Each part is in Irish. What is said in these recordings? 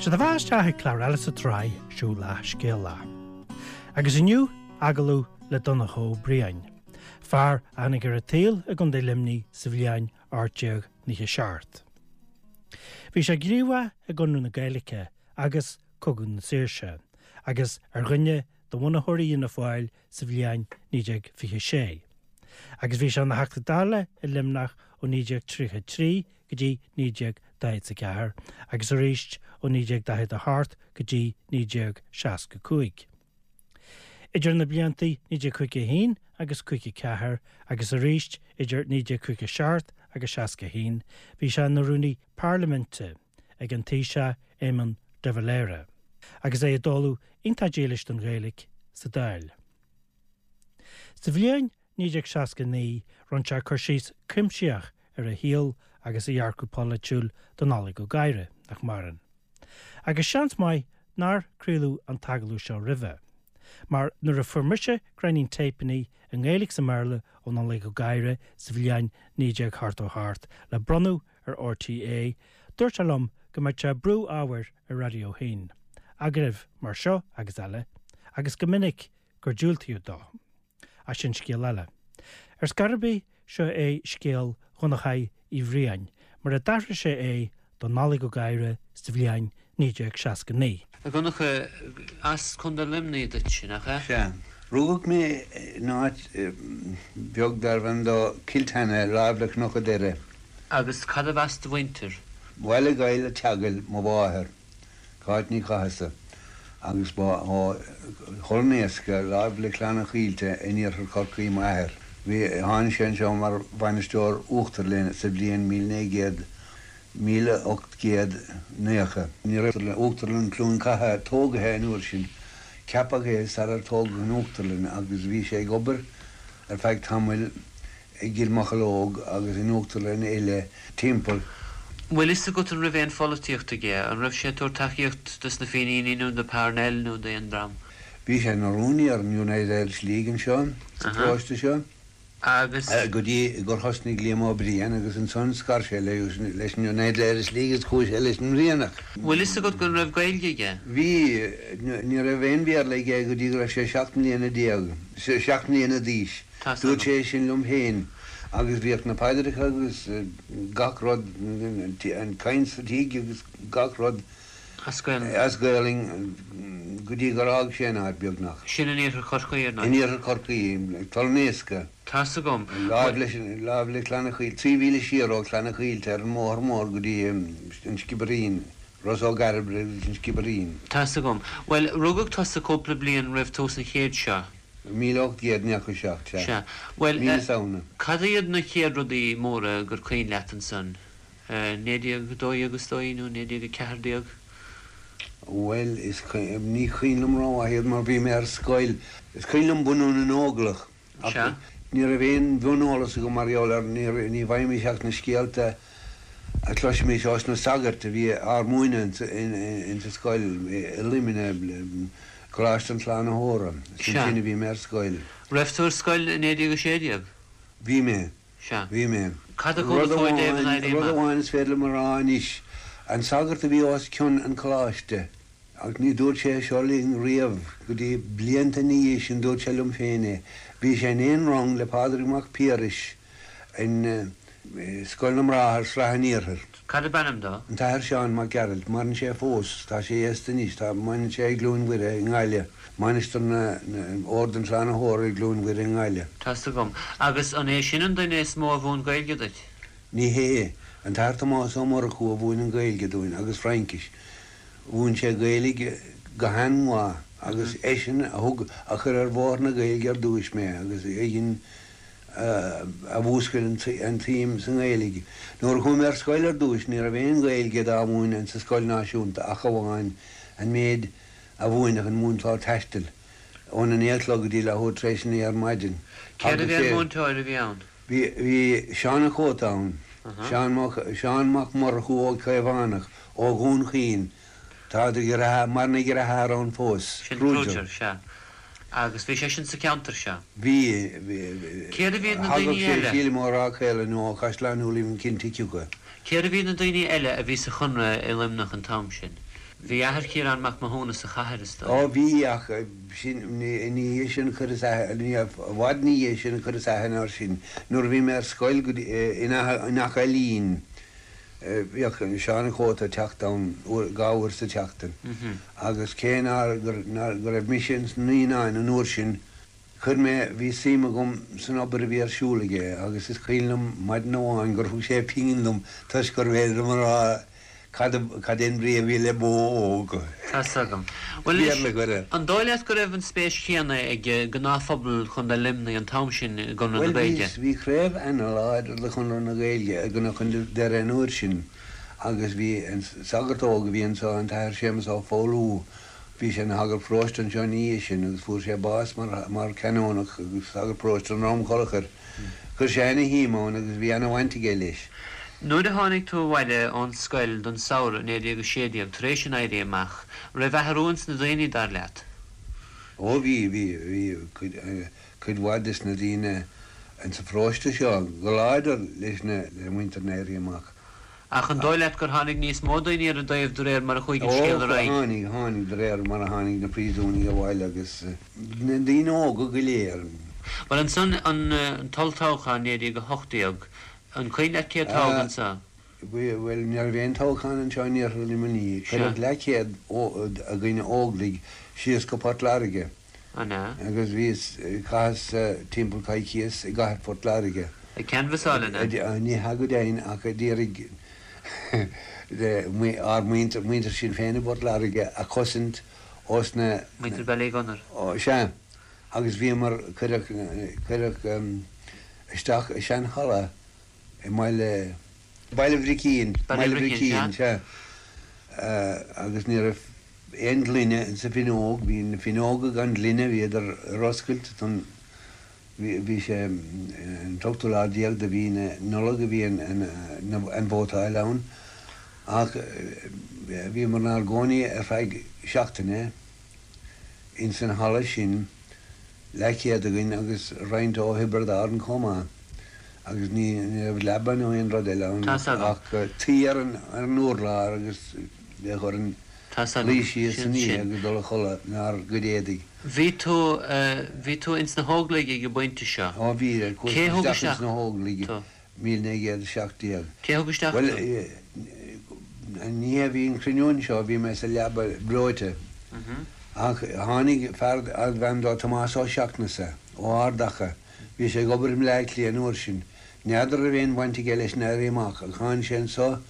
Seo daoibh isteach ag clár eile sa tsraith Siúil Leat Scéal Leat. Agus inniu, agallamh le Donncha Ó Briain, fear a tháinig ar an tsaol i gContae Luimnigh sa bhliain 1897. Bhí sé gníomhach i gConradh na Gaeilge agus Cogadh na Saoirse, agus ar dhuine de bhunaitheoirí Fhianna Fáil sa bhliain 1926, agus bhí sé ina Theachta Dála i Luimneach ó 1933 go dtí 1944 agus arís ó 1948 go dtí 1965. Idir na blianta 1951 agus 54 agus arís idir 1957 agus 61 bhí sé ina Rúnaí Parlaiminte ag an Taoiseach Éamon de Valera agus é ag dáileadh iontach dílis don Ghaeilge sa Dáil. Sa bhliain 1969 rinne sé cur síos cuimsitheach ar a shaol agus a dhearcadh polaitiúil do Nollaig Ó Gadhra, nach maireann. Agus seans maith nár craoladh an t-agallamh seo roimhe, mar nuair a fuair mise gráinnín téipeanna i nGaeilge is i mBéarla ó Nollaig Ó Gadhra sa bhliain 1988 le bronnadh ar RTÉ, dúirt sé liom go mbeadh sé ag brú ábhair ar Raidió 1, agallaimh mar seo agus eile, agus go minic gur diúltaíodh dó. Ach sin scéal eile. Ar scor ar bith, seo é scéal Dhonnchaidh Uí Bhriain, mar a d'aithris sé é do Nollaig Ó Gadhra sa bhliain 1969. A Dhonncha, as Contae Luimnigh duitse, nach ea? Sea. Rugadh mé in áit bheag darbh ainm dó Cill Tana, láimh le Cnoc a' Doire. Agus cad as do mhuintir? Baile Ghoill a' Teagail mo mháthair. Cáit Ní Chathasaigh, agus ba ó Thull an Éasca, láimh le Clanna Chaoilte in iarthar Chorcaí m'athair. Bhí, tháinig sé anseo mar bhainisteoir uachtarlainne sa bhliain 1900, 1890. Ní raibh Uachtarlann Chluain Catha tógaithe an uair sin. Ceapadh é sarar tógadh an uachtarlann agus bhí sé ag obair ar feadh tamaill i gCill Mocheallóg agus in uachtarlanna eile timpeall. Bhfuil fhios agat an raibh aon pholaitíocht aige? An raibh sé ag tabhairt tacaíocht dos na Fíníní nó do Parnell nó d'aon dream? Bhí sé ina rúnaí ar an United Irish League anseo sa pharóiste seo Agus. go dtí gur thosnaigh Liam Ó Briain agus ansan scar sé leis an United Irish League agus chuaigh sé leis an mBrianach. Bhfuil fhios agat go raibh Gaeilge aige? Bhí. Ní raibh aon Bhéarla aige go dtí go raibh sé 17 mbliana, 7 mbliana d'aois. Tá's Dúirt agam. sé sin liom féin agus bhíodh na paidreacha agus gach rud, an chaint sa tigh agus gach rud As Gaelainn. as Gaelainn go dtí gur fhág sé an áit, beagnach. Sin in iarthar Chorcaí, ar ndóigh. In iarthar Chorcaí, Tull an Éasca. Tá's agam. Láimh leis, láimh le Clanna Chaoilte, 3 mhíle siar ó Chlanna Chaoilte ar an mbóthar mór go dtí an Sciobairín, Ros Ó gCairbre agus an Sciobairín. Tá's agam. Bhuel, rugadh tusa cúpla bliain roimh tús an chéid seo. 1897, sea. Sea. Bhuel, Mí na Samhna. cad iad na chéad rudaí móra gur cuimhin leat ansan? 1912 is dóigh, nó 1914? Bhuel, is, ní cuimhin liom rómhaith iad mar bhí mé ar scoil. Is cuimhin liom bunú na nÓglach. Ach Sea. ní raibh aon mhioneolas agam mar gheall air, ní bhfaighimís ach na scéalta a chloisimís ós na sagairt a bhí ár múineadh ins an scoil i Luimneach, Coláiste an tSlánaitheora. Is Sea. ansin a bhí mé ar scoil. Raibh tú ar scoil i 1916? Bhí mé. Sea. Bhí mé. Cad a chuala Rud tú i dtaobh an amháin, Éirí rud Amach? amháin is féidir liom a rá anois, an sagart a bhí os cionn an choláiste, Ach ní dúirt sé seo linn riamh go dtí blianta ina dhiaidh sin, dúirt sé liom féin é. Bhí sé in aon rang le Pádraig Mac Piarais in Scoil na mBráthar, Srath an Iarthair. Cad ab ainm dó? An tAthair Seán Mac Gearailt. Maireann sé fós. Tá sé aosta anois. Tá, maireann sé i gCluain Mhuire i nGaillimh. Mainistir na, Ord an tSlánaitheora i gCluain Mhuire i nGaillimh. Tá's agam. Agus an é sin an duine is mó a mhúin Gaeilge duit? Ní hé. An tAthair Tomás Ó Murchú a mhúin an Ghaeilge dúinn agus Fraincis. Mhúin sé Gaeilge go han-mhaith agus eisean a thug, a chuir ar bhóthar na Gaeilge ar dtúis mé agus eisean a mhúscail an tsuim sa nGaeilge. Nuair a chuaigh mé ar scoil ar dtúis ní raibh aon Ghaeilge dá mhúineadh insa scoil náisiúnta ach amháin an méid a mhúinfeadh an múinteoir taistil óna naoi a chlog go dtí leathuair tar éis a naoi ar maidin. Cérbh é an múinteoir a bhí ann? Bhí, bhí Seán a' Chóta ann. Seán Mac, Seán Mac Murchú Ó Caomhánach ó Dhún Chaoin. Tá a dheartháir, maireann a dheartháir ann fós. Sin Kruger, sea. Agus bhí sé sin sa cheantar seo. Bhí, bhí, Cérbh iad na daoine thagadh sé, eile? sílim, ó Ráth Caola nó ó Chaisleán Uidhilín cinnte cé acu. Cérbh iad na daoine eile a bhí sa Chonradh i Luimneach an t-am sin? Bhí athair Chiarán Mac Mathúna sa chathair, is dóigh. Ó bhí, ach sin, ina dhiaidh sin chuireas aithne, i bhfad ina dhiaidh sin chuireas aithne air sin. Nuair a bhí mé ar scoil go dtí, in Achadh Ailín, bhíodh Seán an Chóta ag teacht ann uair, dha uair sa tseachtain. Agus cé nár, go raibh mise ins na naíonáin an uair sin, Chuir mé, bhí suim agam san obair a bhí ar siúl aige agus is cuimhin liom maidin amháin gur thug sé pingin dom toisc gurbh fhéidir liom a rá cad, cad é an brí a bhí le bó óg. Tá's agam. Bhuel anois, an dóigh leat go raibh an spéis chéanna ag gnáthphobal Chontae Luimnigh an t-am sin i gConradh na Gaeilge? Bhuel bhí, bhí craobh ana-láidir de Chonradh na Gaeilge i gCnoc an Doire an uair sin agus bhí an sagart óg a bhí anso, an tAthair Séamus Ó Foghlú, Bhí sé ina shagart paróiste anseo ina dhiaidh sin agus fuair sé bás mar mar canónach agus sagart paróiste i nDrom Cholchair. Chuir sé ana shuim ann agus bhí ana bhaint aige leis. Nuair a tháinig tú abhaile ón scoil don samhradh i 1916, tar éis an Éirí Amach, raibh athrú ins na daoine, dar leat? Ó bhí, bhí, bhí cuid, cuid mhaith des na daoine insa pharóiste seo go láidir leis na, le muintir an Éirí Amach. Ach an dóigh leat gur tháinig níos mó daoine ar a dtaobh de réir mar a chuaigh an scéal ar aghaidh? Ó, tháinig, tháinig, de réir mar a tháinig na príosúnaigh abhaile agus na daoine óga go léir. Bhuel, ansan, an t-olltoghchán 1918, an cuimhin leat cé a toghadh anso? Bhuel, ní raibh aon toghchán anseo in Iarthar Luimnigh. Cuireadh leathchéad againn Óglaigh síos go Port Láirge. An ea? Agus bhíos, chaitheas timpeall coicíos i gcathair Phort Láirge. Ag canbhasáil, an ea? Ní hea go deimhin ach ag iarraidh ár muintir, muintir Shinn Féin i bPort Láirge a chosaint ós na. Muintir Ballygunner. Sea. Agus bhíomar, cuireadh, cuireadh isteach i seanhalla i mBaile, Baile Bhricín, Baile Bhricín, sea. Agus ní raibh aon ghloine insa bhfuinneog, bhí na fuinneoga gan ghloine, bhíodar ar oscailt don, bhí sé an t-ochtú lá déag de mhí na Nollag a bhí an vótáil ann ach bhíomar inár gcónaí ar feadh seachtaine ins an halla sin, leathchéad againn agus roinnt ó Thiobraid Árann chomh maith agus ní raibh leaba nó aon rud eile ann ach tuí ar an urlár agus bheadh orainn luí síos san oíche agus dul a chodladh inár gcuid éadaigh. Bhí tú, bhí tú ins na hÓglaigh ag an bpointe seo. Ó bhí, chuas isteach ins na hÓglaigh. 1917. Cé thug isteach tú? Bhuel, an oíche a bhí an cruinniú anseo, bhí mé sa leaba breoite. Ach tháinig fear arbh ainm dó Tomás Ó Seachnasaigh, ó Ard Acha, bhí sé ag obair i mBleá Cliath an uair sin. N'fheadar raibh aon bhaint aige leis an Éirí Amach, ach tháinig sé anso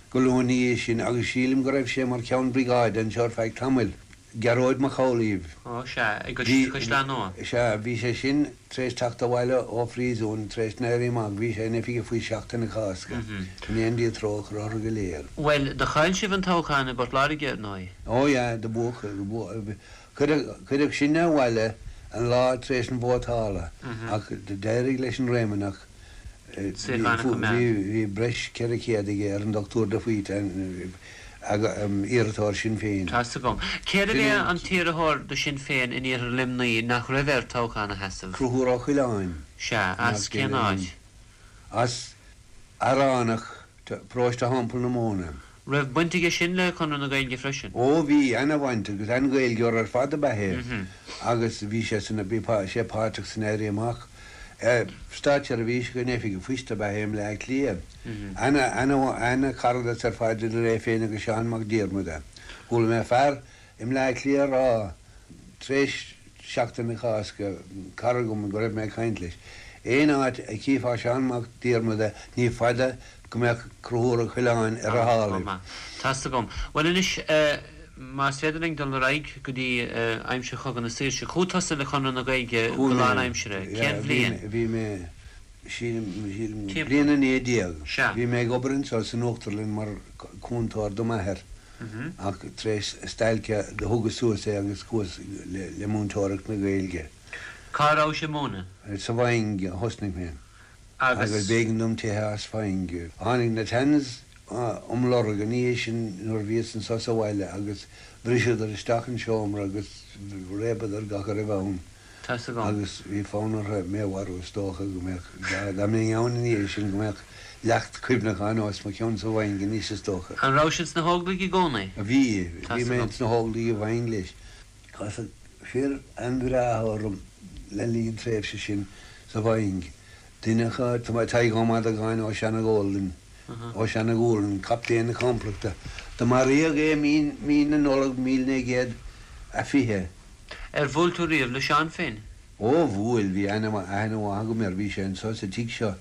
go luath ina dhiaidh sin agus sílim go raibh sé mar cheann briogáide anseo ar feadh tamaill. Gearóid Mac Amhlaoibh. Ó, sea, i gCaisleán Nua. Sea, bhí sé sin tar éis teacht abhaile ó phríosún tar éis an Éirí Amach, bhí sé in Oifig an Phoist Seachtain na Cásca, go ndéana Dia trócaire orthu go léir. Bhuel, do chaill sibh an toghchán i bPort Láirge, ar ndóigh. Ó, yeah, do buadh, cuireadh, cuireadh sinne abhaile an lá tar éis an vótála ach d'éirigh leis an Réamonnach Bhí breis 400 aige ar an Dr de Faoite, iarrthóir Shinn Féin. Tá's agam. Cérbh é an t-iarrthóir do Shinn Féin in iarthar Luimnigh nach raibh air toghchán a sheasamh? Conchúr Ó Coileáin. Sea, as cén áit? As Fhearánach, Paróiste Theampall na Móna. Raibh baint aige sin le Conradh na Gaeilge freisin? Ó bhí, ana-bhaint agus an-Ghaeilgeoir ar fad ab ea é agus bhí sé san, bhí sé páirteach san Éirí Amach. Státseirbhíseach in Oifig an Phoist ab ea é i mBleá Cliath. Ana, ana, ana-charadas ar fad idir é féin agus Seán Mac Diarmada. Chuala mé fear i mBleá Cliath a rá tar éis Seachtain na Cásca, cara agam go raibh mé ag caint leis, aon áit a chífeá Seán Mac Diarmada ní fada go mbeadh Conchúr Ó Coileáin ar a shálaibh. Tá's agam. Bhuel anois, más féidir linn dul ar aghaidh go dtí aimsir Chogadh na Saoirse. Chuaigh tusa le Conradh na Gaeilge go lánaimseartha. Cén bhliain? Bhí mé, sílim, bliain 19. Bhí mé ag obair anseo san Uachtarlann mar chúntóir do m'athair. Ach tar éis stailce do thugas suas é agus chuas le múinteoireacht na Gaeilge. Cá rabhais ag múineadh? Sa Mhaing a thosnaigh mé. Agus b'éigean dom teitheadh as Faing. Tháinig na Tans um lorg an oíche sin nuair a bhíos anso sa bhaile agus bhriseadar isteach an seomra agus réabadar gach a raibh ann. Tá's agam. Agus bhí fonn orthu mé a mharú is dócha go mbeadh, dá mbeinn ann ina dhiaidh sin, go mbeadh leacht cuimhneacháin os mo chionn sa Mhaing anois is dócha. An rabhais ins na hÓglaigh i gcónaí? Bhí, bhí Tá's mé agam. ins na hÓglaigh i Mhaing leis. Casadh fir an-bhreátha orm le linn an tréimhse sin sa Mhaing. Duine acu, Tadhg Ó Madagáin ó Seanagólainn, ó Seanagúlainn, captaen na complachta. Do maraíodh é mí, mí na Nollag 1920. Ar bhuail tú riamh le Seán féin? Ó, bhuail, bhí aithne mhaith agam air, bhí sé anseo sa tigh seo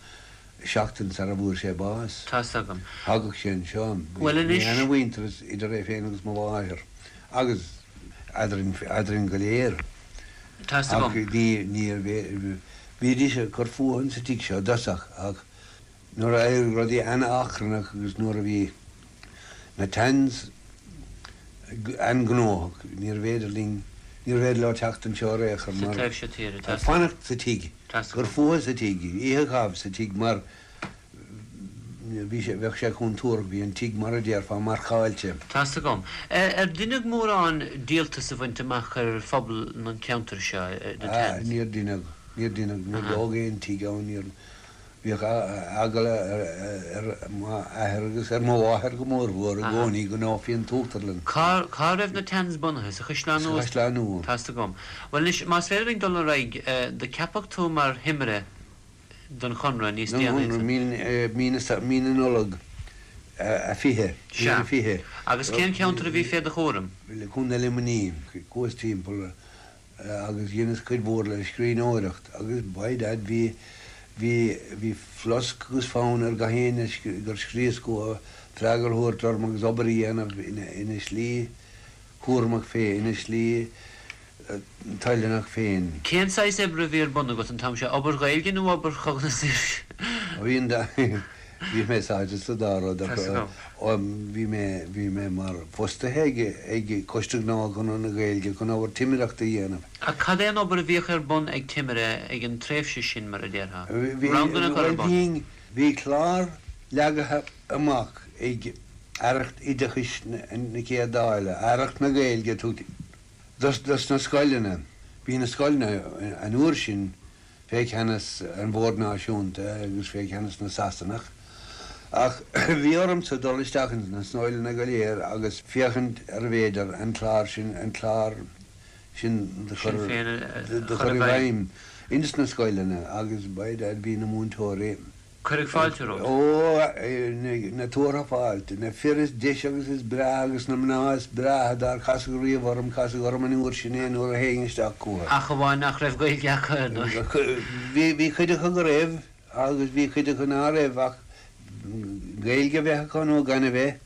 seachtain sara bhfuair sé bás. Tá's agam. Thagadh sé anseo. Bhuel Bhí anois. ana-mhuintearas idir é féin agus mo mháthair agus eadrainn, eadrainn go léir. Tá's agam. Ach ní, níor, bhídís ag cur fúthu insa tigh seo i dtosach ach nuair a d'éirigh rudaí an-achrannach agus nuair a bhí na Tans an-ghnóthach níorbh fhéidir linn, níorbh fhéidir leo teacht anseo ar aon chor Sa mar, taobh seo tíre, tá's agam. fanacht sa tigh, Tá's cur agam. fúthu sa tigh, oíche a chaitheamh sa tigh mar bhí sé, bheadh sé contúirteach, bhí an tigh mar a déarfá marcáilte. Tá's agam. Ar deineadh mórán díoltas a bhaint amach ar phobal an cheantair seo, na Ah, Tans? níor deineadh, níor deineadh, níor dódh aon tigh ann, níor, Bhíodh eagla ar m'athair agus ar mo mháthair go mórmhór i gcónaí go ndófaí an t-uachtarlann. Cá raibh na Tans bunaithe? Sa Chaisleán Sa Nua? Chaisleán Nua. Tá's agam. Bhuel anois, más féidir linn dul ar aghaidh, do ceapadh tú mar thimire don Chonradh níos Don déanaí Chonradh, mí na Nollag 20, Sea. 20. Agus cén ceantar a bhí fé do chúram? Contae Luimnigh. Chuas timpeall agus dheineas cuid mhór le scríbhneoireacht agus by dad bhí, bhí, bhí flosc agus fonn ar gach éinne gur scríos chucu freagra a thabhairt orm agus obair a dhéanamh ina, ina slí chúramach féin, ina slí toilteanach féin. Cén saghas oibre a bhí ar bun agat an t-am seo, obair Ghaeilge nó obair Chogadh na Saoirse? Bhí an dá, bhí mé sáite sa dá rud ach bhí mé, bhí mé mar fostaithe ag, ag Coiste Gnó Chonradh na Gaeilge chun obair timireachta a dhéanamh. Ach cad é an obair a bhíodh ar bun ag timire ag an tréimhse sin, mar a déarfá? Bhí, Ranganna a chur ar bhuel bun? bhí, bhí clár leagtha amach ag Aireacht Oideachais na Céad Dála, Aireacht na Gaeilge a tugtaí dos, dos na scoileanna. Bhí na scoileanna an uair sin fé cheannas an Bhoird Náisiúnta agus fé cheannas na Sasanach, ach bhí ormsa dul isteach ins na scoileanna go léir agus féachaint arbh fhéidir an clár sin, an clár sin do chur, do chur i bhfeidhm ins na scoileanna agus by dad bhí na múinteoirí. Cuireadh fáilte romhat. Ó, na tuartha fáilte. Na fir is deise agus is breátha agus na mná is breátha dár casadh riamh orm, casadh orm an uair sin é nuair a théinn isteach chucu. Ach amháin nach raibh Gaeilge acu, ar ndóigh. Bhí, bhí cuid acu go raibh agus bhí cuid acu ná raibh ach Gaeilge a bheith acu nó gan a bheith.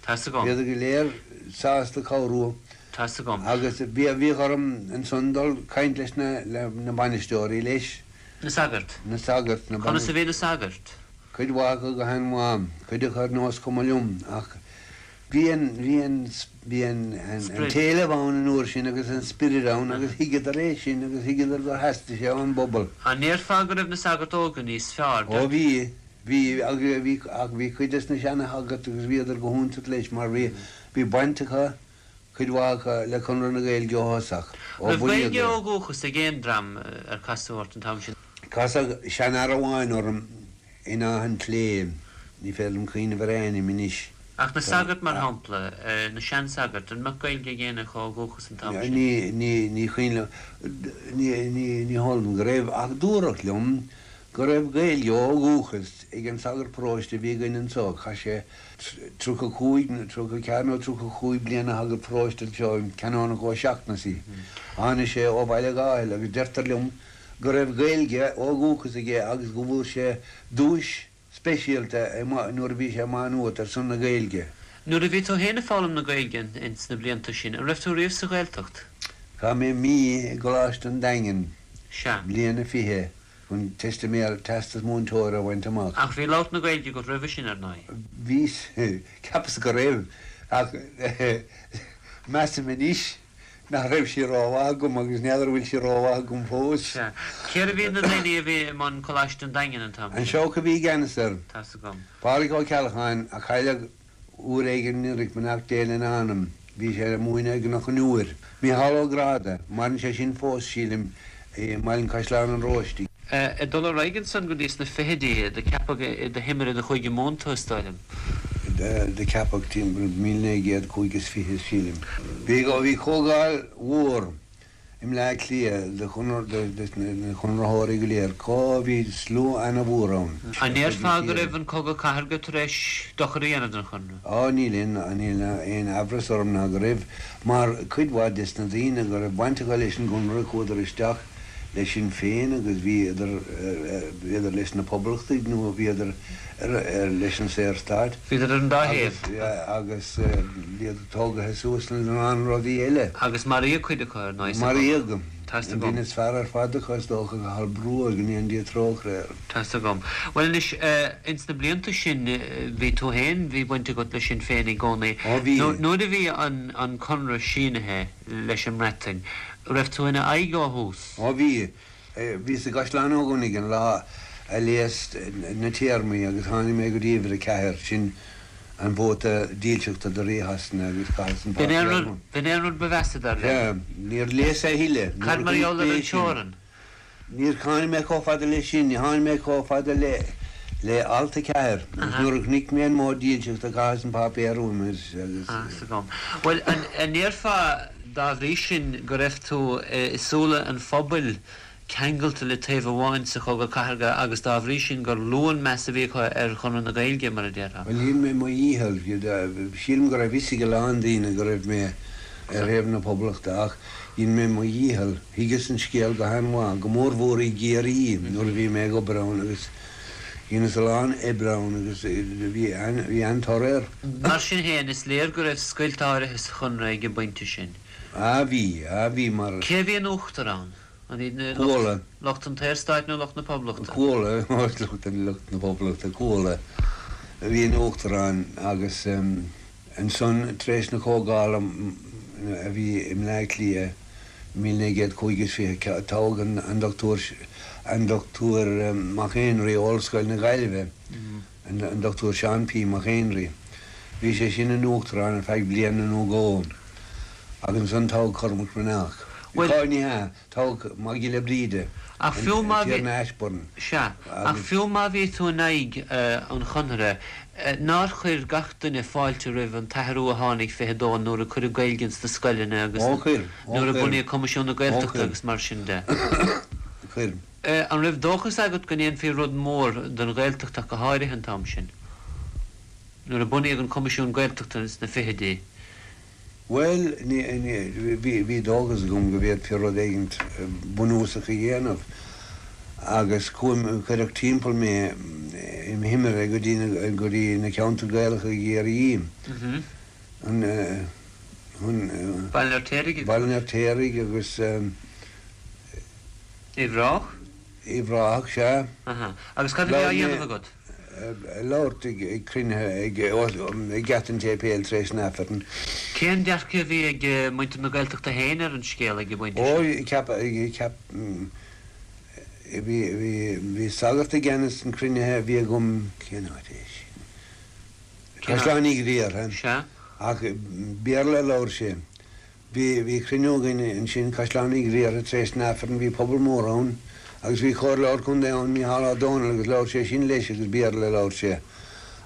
Tá's agam. Bhíodar go léir sásta cabhrú. Tá's agam. Agus bhíodh orm ansan dul caint leis na, le na bainisteoirí leis. Na sagairt. Na sagairt, na Conas a bhí na sagairt? Cuid mhaith acu go han-mhaith, cuid acu ar nós cuma liom, ach bhí an, bhí an, bhí an, an t-éileamh ann an uair sin agus an spiorad ann agus thuigeadar é sin agus thuigeadar gur theastaigh sé ón bpobal. An ndéarfá go raibh na sagairt óga níos fearr? Ó bhí. Bhí, agus bhí, ach bhí cuid des na seana-shagairt agus bhíodar go hiontach leis mar bhí, bhí baint acu, cuid mhaith acu, le Conradh na Gaeilge ó thosach, ó Raibh bunaíodh Gaeilge é. ó dhúchas ag aon dream ar casadh ort an t-am sin? Casadh seanfhear amháin orm in Áth an tSléibhe, ní féidir liom cuimhneamh ar a ainm anois. Ach na sagairt, mar shampla, na seansagairt, an mbeadh Gaeilge ag éinne acu ó dhúchas an t-am sin? Ní, ní, ní cuimhin liom, ní, ní, ní heol dom go raibh, ach dúradh liom go raibh Gaeilge ó dhúchas ag an sagart paróiste a bhí againn anso. Chaith sé 35 nó 34 nó 35 bliain ina shagart paróiste anseo, an Canónach Ó Seachnasaigh. Tháinig sé ó Bhaile Átha agus deirtear liom go raibh Gaeilge ó dhúchas aige agus go bhfuair sé duais speisialta nuair a bhí sé i Má Nuat ar son na Gaeilge. Nuair a bhí tú féin ag foghlaim na Gaeilge ins na blianta sin, an raibh tú riamh sa Ghaeltacht? Chaith mé mí i gColáiste an Daingin, Sea. bliain a 20. chun teistiméir, teastas múinteora a bhaint amach. Ach bhí labhairt na Gaeilge agat roimhe sin, ar ndóigh. Bhí, cheapas go raibh, ach measaim anois nach raibh sí rómhaith agam agus n'fheadar an bhfuil sí rómhaith agam fós. Sea. Cérbh iad na daoine a bhí i mbun Coláiste an Daingin an t-am An sin? Seabhac a bhí i gceannas air. Tá's agam. Pádraig Ó Ceallacháin, a cailleadh Uair éigin anuraidh, beannacht Dé lena anam, bhí sé ag múineadh i gCnoc an Iúir. Mícheál Ó Gráda, maireann sé sin fós, sílim. i mBaile an Chaisleáin an Róistigh. Ag dul ar aghaidh ansan go dtí sna fichidí, do ceapadh i do thimire do Chúige Mumhan tú, is dóigh liom. Do ceapadh timpeall 1925, sílim. Bhí comhdháil mhór i mBleá Cliath de na Conraitheoirí go léir. Cá bhí slua ana-mhór ann. An ndéarfá go raibh an Cogadh Cathartha tar éis dochar a dhéanamh don Chonradh? Á, níl aon amhras orm ná go raibh, mar cuid mhaith des na daoine go raibh baint acu leis an gConradh chuadar isteach le Sinn Féin agus bhíodar, bhíodar leis na Poblachtaigh nó bhíodar leis an Saorstát. Bhíodar ar an dá thaobh. Agus bhíodar tógaithe suas lena lán rudaí eile. Agus maraíodh cuid acu, ar ndóigh, sa chogadh. Maraíodh. Tá's agam. An duine is fearr ar fad acu, is dócha, Cathal Brugha, go ndéana Dia trócaire air. Tá's agam. Bhuel anois, ins na blianta sin, bhí tú féin, bhí baint agat le Sinn Féin i gcónaí. Ó bhí. Nuair a bhí an conradh sínithe leis an mBreatain, raibh tú ina aghaidh ó thús? Ó bhí. Bhíos i gCaisleán Ó gCuanaigh an lá a léas na téarmaí agus tháinig mé go dtí uimhir 4, sin an vóta dílseachta do Rí Shasana agus chaitheas an páipéar uaim. B'in é an rud ba mheasa, dar leat? Sea. Níor léas a thuilleadh. Cad mar gheall ar an teorainn? Níor tháinig mé chomh fada leis sin, ní tháinig mé chomh fada le le alt 4 agus nuair a chonaic mé an modh dílseachta chaitheas an páipéar uaim agus. Tá's agam. Bhuel, an ndéarfá dá bhrí sin go raibh tú i súile an phobail ceangailte le taobh amháin sa Chogadh Cathartha agus dá bhrí sin gur lú an meas a bhí acu ar Chonradh na Gaeilge, mar a déarfá? Bhuel, dhein mé mo dhícheall. Sílim go raibh fhios ag a lán daoine go raibh mé ar thaobh na Poblachta ach dhein mé mo dhícheall. Thuigeas an scéal go han-mhaith, go mórmhór i gCiarraí nuair a bhí mé ag obair ann agus dheineas a lán oibre ann agus bhí an-toradh air. Mar sin féin, is léir go raibh scoilt áirithe sa Chonradh ag an bpointe sin. Á bhí, á bhí mar. Cé a bhí in uachtar ann? An iad na Cuala. lucht an tSaorstáit nó lucht na Poblachta? Cuala, lucht na Poblachta, Cuala a bhí in uachtar ann agus ansan tar éis na comhdhála a bhí i mBleá Cliath i 1925 toghadh an Dochtúir an Dochtúir Mac Éinrí ó Ollscoil na Gaillimhe, an Dochtúir Seán P. Mac Éinrí. Bhí sé sin ina uachtarán ar feadh bliana nó dhó agus ansan toghadh Cormac Breathnach. Bhuel. Ní hea, toghadh Mac Giolla Bríde, Ach fiú an má bhí. Tiarna Ashbourne. Sea, ach fiú má bhí tú in aghaidh an Chonartha, nár chuir gach duine fáilte roimh an t-athrú a tháinig 22 nuair a cuireadh Gaeilge ins na scoileanna agus Ó chuir, ó nuair a chuir, bunaíodh Coimisiún na ó Gaeltachta chuir. agus mar sin de? Chuir. An raibh dóchas agat go ndéanfaí rud mór don Ghaeltacht ach go háirithe an t-am sin, nuair a bunaíodh an Coimisiún Gaeltachta sna fichidí? Bhuel, ní, ní, bhí, bhí dóchas agam go bhféadfaí rud éigint bunúsach a dhéanamh agus chuaigh, cuireadh timpeall mé im thimire go dtí na, go dtí na ceantair Gaelacha i gCiarraí, an, an. Baile an Fheirtéaraigh agus. Baile an Fheirtéaraigh agus. Uíbh Ráthach? Uíbh Ráthach, sea. Aha. Agus cad a bhí á dhéanamh agat? Labhairt ag cruinnithe ag Geata an tSéipéil tar éis an Aifrinn. Cén dearcadh a bhí ag muintir na Gaeltachta féin ar an scéal ag an bpointe sin? Ó, ceap, ceap, bhí, bhí, bhí sagart i gceannas an chruinnithe a bhí agam, cén áit é sin? Caisleán Uí Ghriartha. Sea. Ach Béarla a labhair sé. Bhí, bhí cruinniú againn ansin, Caisleán Uí Ghriartha, tar éis an Aifrinn, bhí pobal mór ann agus bhí comhairleoir contae ann, Mícheál Ó Domhnaill, agus labhair sé sin leis agus Béarla a labhair sé.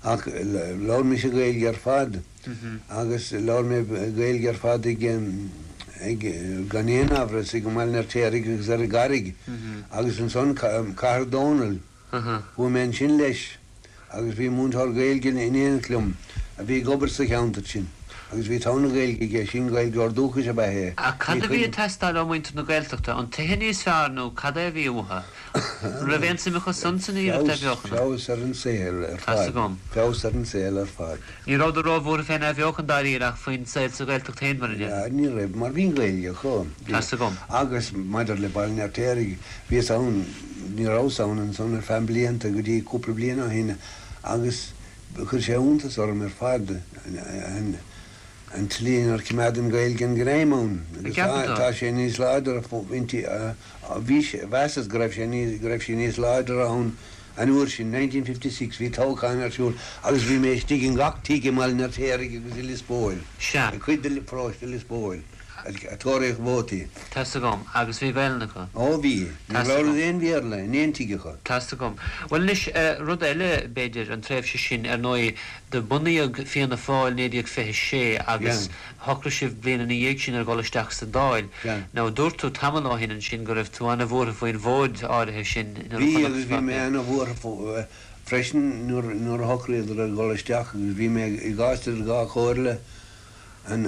Ach labhair mise Gaeilge ar fad agus labhair mé Gaeilge ar fad ag, ag, gan aon amhras, ag an mBaile an Fheirtéaraigh agus ar an gCarraig agus ansan Cathair Dónall. Chuaigh mé ansin leis agus bhí múinteoir Gaeilge in éineacht liom a bhí ag obair sa cheantar sin agus bhí togha na Gaeilge aige sin, Gaeilgeoir dúchais ab ea é. Ach cad a bhí ag teastáil ó mhuintir na Gaeltachta? An tithe níos fearr nó cad é a bhí uathu? An raibh aon suim acu san san iarracht athbheochana? Feabhas ar an saol ar Tá's fad. agam. Feabhas ar an saol ar fad. Ní rabhadar róbhuartha fén athbheochan dáiríre ach faoin saol sa Ghaeltacht féin mar a déarfá. Ní raibh, mar bhí an Ghaeilge acu. Tá's agam. Agus maidir le Baile an Fheirtéaraigh, bhíos ann, ní rabhas ann ansan ar feadh blianta go dtí cúpla bliain ó shin agus chuir sé iontas orm ar fad an an tslí inar choimeád an Ghaeilge an greim ann agus tá sé níos láidre inti, bhí sé, mheasas go raibh sé níos, go raibh sí níos láidre ann an uair sin, 1956, bhí toghchán ar siúl agus bhí mé istigh in gach tigh i mBaile an Fheirtéaraigh agus i Lios Póil, Sea. i cuid de pharóiste Lios Póil. Ag tóraíocht vótaí. Tá's agam. Agus bhí Gaelainn acu? Ó bhí. Níor labhradar aon Bhéarla in aon tigh acu. Tá's agam. Bhuel anois, rud eile, b'fhéidir, an tréimhse sin, ar ndóigh, do bunaíodh Fianna Fáil 1926 agus shocraigh sibh bliain ina dhiaidh sin ar dhul isteach sa Dáil. Now, dúirt tú tamall ó shin ansin go raibh tú ana-bhuartha faoin mhóid áirithe sin nuair a Bhí, chonac agus bhí mé ana-bhuartha freisin nuair a shocraíodar ar dhul isteach agus bhí mé i gcás idir dhá chomhairle an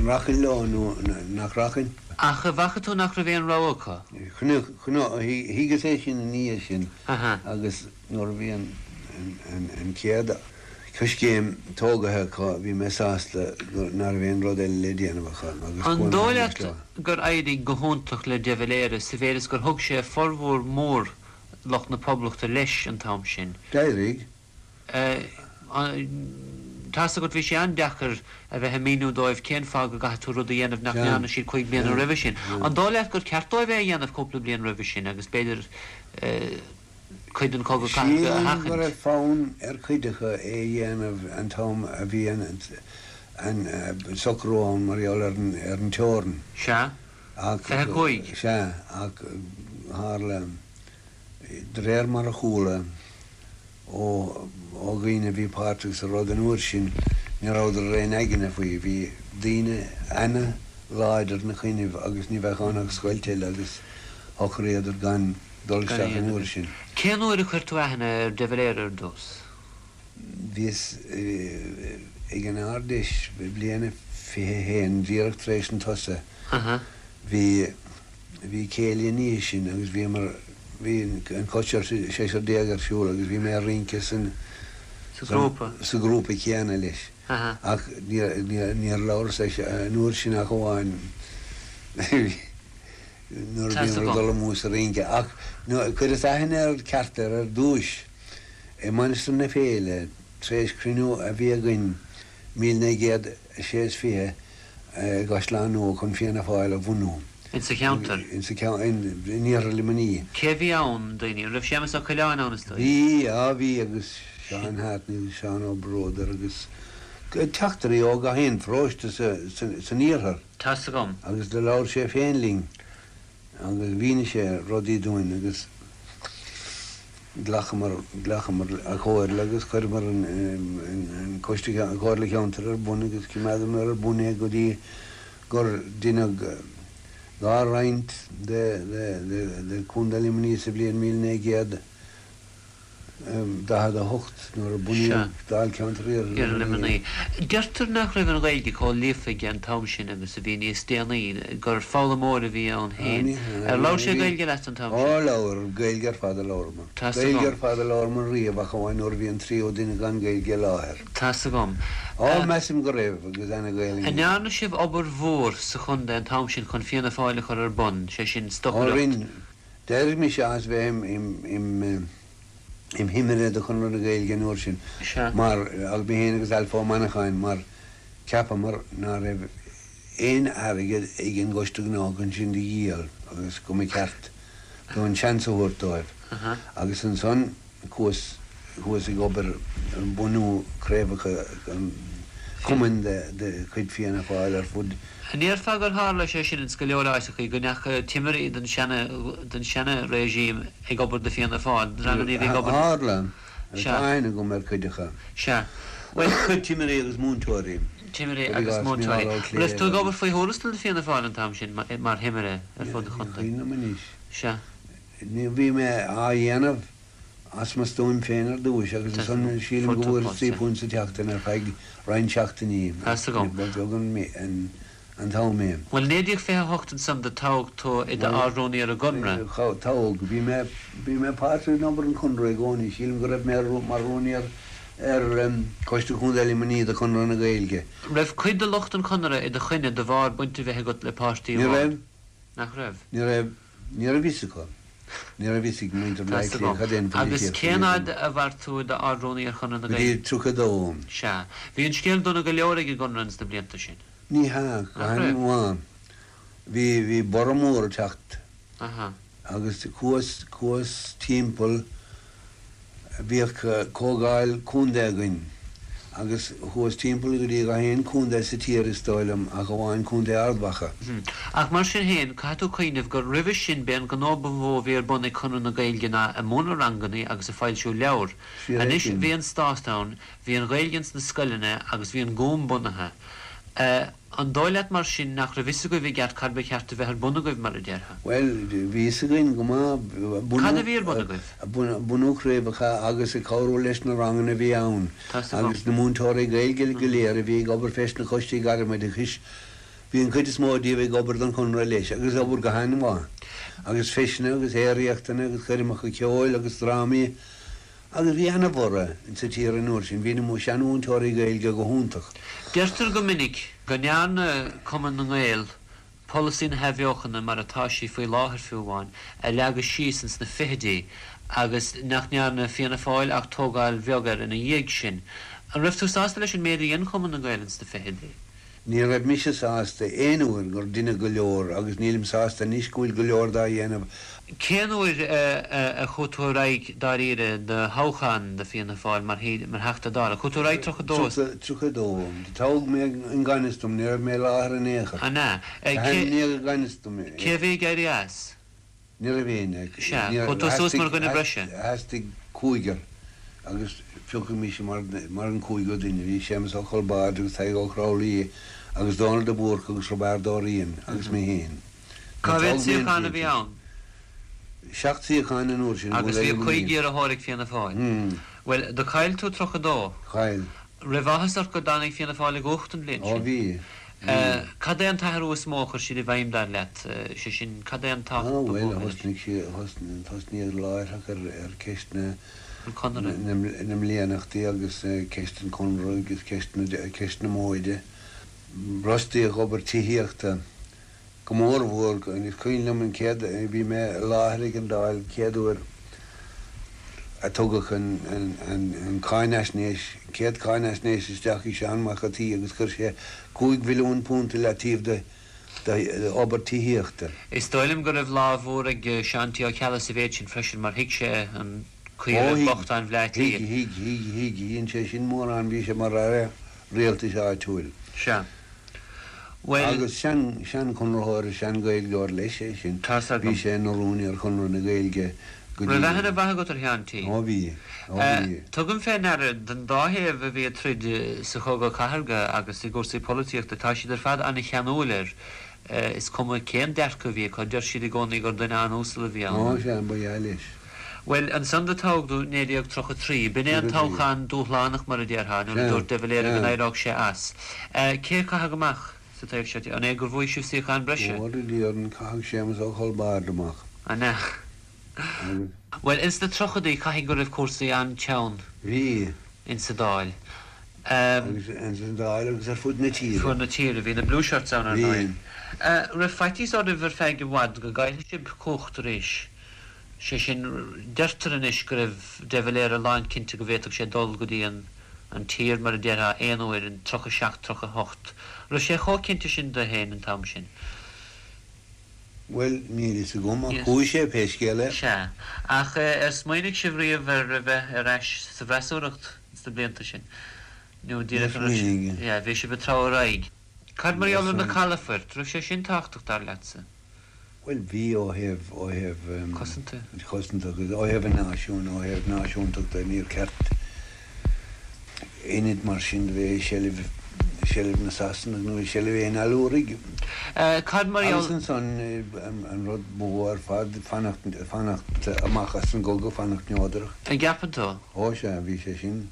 rachainn leo nó nach rachainn. Ach an bhfaca tú nach raibh aon rogha acu? Thuigeas é sin ina dhiaidh sin agus nuair a bhí an chéad choiscéim tógaithe acu bhí mé sásta ná raibh aon rud eile le déanamh acu agus An dóigh leat gur éirigh go hiontach le de Valera sa mhéid is gur thug sé formhór mór lucht na Poblachta leis an t-am sin? D'éirigh. Tá's agat, bhí sé an-deacair a bheith ag míniú dóibh cén fáth go gcaithfidh tú rud a dhéanamh nach ndearna siad cúig bliana roimhe sin. An dóigh leat gur ceart dóibh é a dhéanamh cúpla bliain roimhe sin agus b'fhéidir cuid den chogadh cathartha a Sílim go raibh fonn ar chuid acu é a dhéanamh an t-am a bhí an socrú ann mar gheall ar an teorainn. Sea. Ach, 25. sea, ach tharla, de réir mar a chuala, Ó dhaoine a bhí páirteach sa rud an uair sin, ní rabhadar ar aon aigne faoi. Bhí daoine ana-láidir 'na choinnibh agus ní bheadh ann ach scoilt eile agus shocraíodar gan dul isteach an uair sin. Cén uair a chuir tú aithne ar de Valera ar dtús? Bhíos ag an Ard-Fheis bliain a 21, díreach tar éis an tsosa. Bhí. Bhí céilí an oíche sin agus bhíomar, bhí an coiste 16 ar siúl agus bhí mé ag rince san, Sa ghrúpa. sa ghrúpa céanna leis. Ach níor, níor labhras leis an uair sin ach amháin nuair a bhíomar ag dul amú sa rince. Ach chuireas aithne air ceart air ar dtúis i Mainistir na Féile tar éis cruinniú a bhí againn 1926 i gCaisleán Nua chun Fianna Fáil a bhunú. In sa cheantar? In sa cheantar, in iarthar Luimnigh. Cé a bhí ann, daoine? An raibh Séamus Ó Coileáin ann is dóigh? Bhí, á bhí agus Seán Hartney agus Seán Ó Bródair agus teachtairí ó gach aon pharóiste san iarthar. Tá's agam. Agus do labhair sé féin linn. Agus mhínigh sé rudaí dúinn agus ghlacamar, ghlacamar a chomhairle agus chuireamar an Coiste, an Chomhairle Cheantair ar bun agus choimeádamar ar bun é go dtí gur deineadh dá roinnt de, de, de, de Chontae Luimnigh sa bhliain 1900. 48 nuair a bunaíodh Dáilcheantar Iarthar Luimnigh. Deirtear nach raibh an Ghaeilge chomh líofa aige an t-am sin agus a bhí níos déanaí, gur foghlaimeoir a bhí ann féin. Ar labhair sé Gaeilge leat an t-am sin? Ó labhair, Gaeilge ar fad a labhramar. Tá's agam. Gaeilge ar fad a labhramar riamh ach amháin nuair a bhí an tríú duine gan Gaeilge i láthair. Tá's agam. Ó, measaim go raibh, agus ana-Ghaelainn An aige. ndearna sibh obair mhór sa chontae an t-am sin chun Fianna Fáil a chur ar bun, sé sin, Ó stocaireacht? rinne. D'éirigh mise as bheith im thimire do Chonradh na Gaeilge an uair sin mar, agus mé féin agus Ailf Ó Manacháin, mar cheapamar ná raibh aon airgead ag an gCoiste Gnó chun sinn do dhíol agus go mba cheart dúinn seans a thabhairt dóibh. Agus ansan Chuas, chuas ag obair ar bhunú craobhacha cumainn de chuid Fianna Fáil ar fud. An ndéarfá gur tharla sé sin ins go leor áiteachaí, go ndeacha timirí den seana, den seana regime ag obair do Fianna Fáil, dreamannaí a bhí ag obair. Tharla. Tá aithne agam ar chuid acu. Sea. Bhuel. Timirí agus múinteoirí. Timirí agus múinteoirí. Raibh tú ag obair faoi thuarastal do Fianna Fáil an t-am sin, mar thimire ar fud an chontae? Ní cuimhin liom anois. Sea. Ní, bhí mé á dhéanamh as mo stuaim féin ar dtúis agus ansan sílim go bhfuaireas £3 sa tseachtain ar feadh roinnt seachtainí. Tá's agam. Ba bheag an t-am é. Bhuel, 1928 ansan do toghadh tú i d'Ard-Rúnaí ar an gConradh. Toghadh. Bhí mé, bhí mé páirteach in obair an Chonradh i gcónaí. Sílim go raibh mé mar rúnaí ar, ar Choiste Chontae Luimnigh de Chonradh na Gaeilge. Raibh cuid de lucht an Chonartha i do choinne de bharr baint a bheith agat le páirtí Ní amháin? raibh. Nach raibh? Ní raibh. Ní raibh fhios acu. Ní raibh fhios ag muintir Bhaile Tá's Átha Cliath agam. cad é an Agus pholaitíocht a bhí cén againn. fhad a mhair tú i d'Ard-Rúnaí ar Chonradh na Go dtí Gaeilge? 32. Sea. Bhí an scéal dona go leor ag an gConradh ins na blianta sin. Ní hea, go Nach raibh? han-mhaith. Bhí, bhí borradh mór ag teacht. Aha. Agus chuas, chuas timpeall, bhíodh comhdháil contae againn. Agus chuas timpeall go dtí gach aon contae sa tír is dóigh liom ach amháin Contae Ard Mhacha. Ach mar sin féin, caithfidh tú cuimhneamh gur roimhe sin b'é an gnó ba mhó a bhí ar bun ag Conradh na Gaeilge ná ag múineadh rangannaí agus ag foilsiú leabhar. Fíor é Anois sin. bhí an stát ann, bhí an Ghaeilge ins na scoileanna agus bhí an Gúm bunaithe. An dóigh leat mar sin nach raibh fhios agaibh i gceart cad ba cheart a bheith ar bun agaibh, mar a déarfá? Bhuel, bhí fhios againn go maith. Cad a bhí ar bun agaibh? Bunú craobhacha agus ag cabhrú leis na ranganna a bhí ann agus na múinteoirí Gaeilge go léir a bhí ag obair fés na coistí gairmoideachais, bhí an chuid is mó díobh ag obair don Chonradh leis agus ag obair go han-mhaith. Agus feiseanna agus aeraíochtanna agus coirmeacha ceoil agus drámaí. Agus bhí ana-bhorradh insa tír an uair sin, bhí na seanmhúinteoirí Gaeilge go hiontach. Deirtear go minic go ndearna Cumann na nGael polasaí na hathbheochana mar atá sí faoi láthair fiú amháin a leagadh síos ins na fichidí agus nach ndearna Fianna Fáil ach tógáil bheag air ina dhiaidh sin. An raibh tú sásta leis an méid a dhein Cumann na nGael ins na fichidí? Ní raibh mise sásta aon uair gur deineadh go leor agus nílim sásta anois go bhfuil go leor dá dhéanamh. Cén uair a chuaigh tú ar aghaidh dáiríre do thoghchán do Fianna Fáil mar Theachta Dála? Chuaigh tú ar aghaidh 32? 32. Toghadh mé i ngan fhios dom, ní raibh mé i láthair in aon chor. An ea? Ainmníodh i ngan fhios dom. Cé a bhí ag éirí as? Ní raibh éinne. Sea. Chuaigh tú suas mar dhuine breise. Theastaigh cúigear agus piocadh mise mar an cúigiú duine. Bhí Séamus Ó Colbáid agus Tadhg Ó Cromhlaí agus Dónal de Búrca agus Roibeárd Ó Riain agus mé féin. Cá mhéad suíochán a bhí ann? Seacht suíochán an uair sin. Agus bhí 5 iarrthóir ag Fianna Fáil. Bhuel, do chaill tú 32. Chaill. Raibh áthas ort go dtáinig Fianna Fáil i gcumhacht an bhliain sin? Ó bhí. Cad é an t-athrú is mó a chuir siad i bhfeidhm, dar leat? Sé sin, cad é an t-acht ba mhó a rinne siad? Bhuel, thosnaíodh láithreach ar ceist na mblianachtaí agus ceist an Chonradh agus ceist na móide. Brostaíodh obair tithíochta. Go mór mhór, is cuimhin liom an chéad, bhí mé i láthair ag an Dáil an chéad uair a tugadh an cáinaisnéis, an chéad cáinaisnéis isteach ag Seán Mac a' tSaoi agus chuir sé £5 mhilliún i leataobh d'obair tithíochta. Is dóigh liom go raibh lámh mhór ag Seán T. Ó Ceallaigh sa mhéid sin freisin mar thuig sé an chaoi a raibh bochtáin Bhleá Cliath. Thuig, thuig, thuig, thuig, dhein sé sin mórán, bhí sé mar aire rialtais áitiúil. Sea. Bhuel. Agus sean-Chonraitheoir, sean-Ghaeilgeoir leis é sin. Tá's agam. Bhí sé ina rúnaí ar Chonradh na Gaeilge go dtí. Raibh aithne mhaith agat ar Sheán T? Ó bhí. Ó bhí. Tugaim fé ndeara, don dá thaobh a bhí ag troid sa Chogadh Cathartha agus i gcúrsaí polaitíochta, tá siad ar fad an-cheanúil air. Is cuma cén dearcadh a bhí acu, deir siad i gcónaí gur duine an-uasal a bhí ann. Ó sea, ba ea leis. Bhuel, ansan do toghadh tú 1933. B'in é an toghchán dúshlánach, mar a déarfá, nuair a dúirt de Valera go n-éireodh sé as. Cé a caitheadh amach sa taobh seo? An é gur bhuaigh sibh suíochán breise? Ó, a Dhiarn, caitheadh Séamus Ó Colbáid amach. An ea? Bhuel, ins na tríochaidí, caithfidh go raibh cúrsaí an-teann. Bhí. Ins an Dáil. Agus ins an Dáil agus ar fud na tíre. Fud na tíre. Bhí na Blue Shirts ann, ar ndóigh. Bhí. Raibh faitíos oraibh ar feadh i bhfad go gcaillfeadh sibh cumhacht arís? Sé sin, deirtear anois go raibh de Valera lánchinnte go bhféadfadh sé dul go dtí an an tír, mar a déarfá, aon uair in 37, 38. Raibh sé chomh cinnte sin de féin an t-am sin? Bhuel, níl fhios agam, ach chuaigh sé, pé scéal é. Sea. Ach ar smaoinigh sibh riamh ar a bheith ar ais sa bhfreasúracht sna blianta sin? Nó díreach an raibh smaoinigh. Yeah, bhí sibh ag treabhadh ar aghaidh. Cad mar gheall ar na calafoirt? Raibh sé sin tábhachtach, dar leatsa? Bhuel, bhí ó thaobh, ó thaobh. Cosanta. Cosanta agus ó thaobh an náisiúin, ó thaobh náisiúntachta, níor cheart ionad mar sin a bheith i seilbh, i seilbh na Sasanach nó i seilbh aon allúraigh. Cad mar gheall. Agus ansan an rud ba mhó ar fad, fanacht, fanacht amach as an gcogadh, fanacht neodrach. An gceapann tú? Ó sea, bhí sé sin.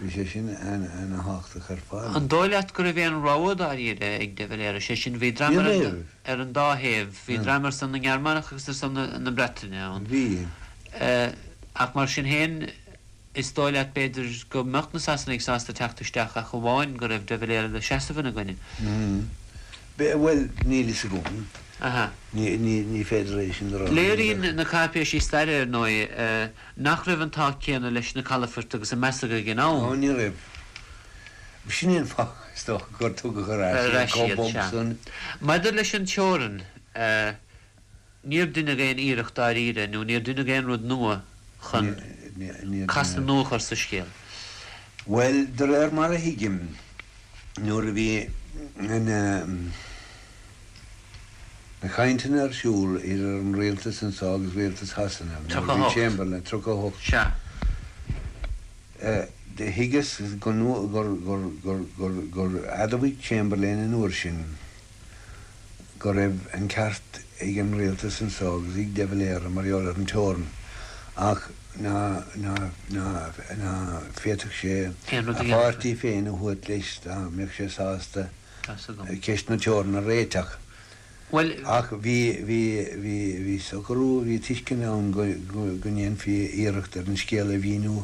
Bhí sé sin ana-thábhachtach ar fad. An dóigh leat go raibh aon rogha dáiríre ag de Valera? Sé sin, bhí dream Ní raibh. ar an dá thaobh, bhí dream ar son na nGearmánach agus ar son na Breataine ann. Bhí. Ach mar sin féin, is dóigh leat, b'fhéidir, go mbeadh na Sasanaigh sásta teacht isteach ach amháin go raibh de Valera le seasamh ina gcoinne. Bhuel, níl fhios agam. Aha. Ní féidir é sin a rá. Léiríonn na cáipéisí staire, ar ndóigh, nach raibh an t-ádh céanna leis na calafoirt agus a measadh ag an am. Ó, ní raibh. B'shin é an fáth, is dócha, gur tugadh ar ais iad chomh bog san. Maidir leis an teorainn, níor deineadh aon iarracht dáiríre nó níor deineadh aon rud nua chun casadh nua a chur sa scéal. Bhuel, de réir mar a thuigim, nuair a bhí na cainteanna ar siúl idir an rialtas anseo agus rialtas Shasana, nuair a bhí Chamberlain, 38, Sea. do thuigeas gur admhaigh Chamberlain an uair sin go raibh an ceart ag an rialtas anseo agus ag de Valera mar gheall ar an teorainn ach ná féadfadh sé a pháirtí féin a thabhairt leis dá mbeadh sé sásta ceist na teorann a réiteach. Ach bhí, bhí, bhí, bhí socrú, bhí tuiscint ann go, go ndéanfaí iarracht ar an scéal a mhíniú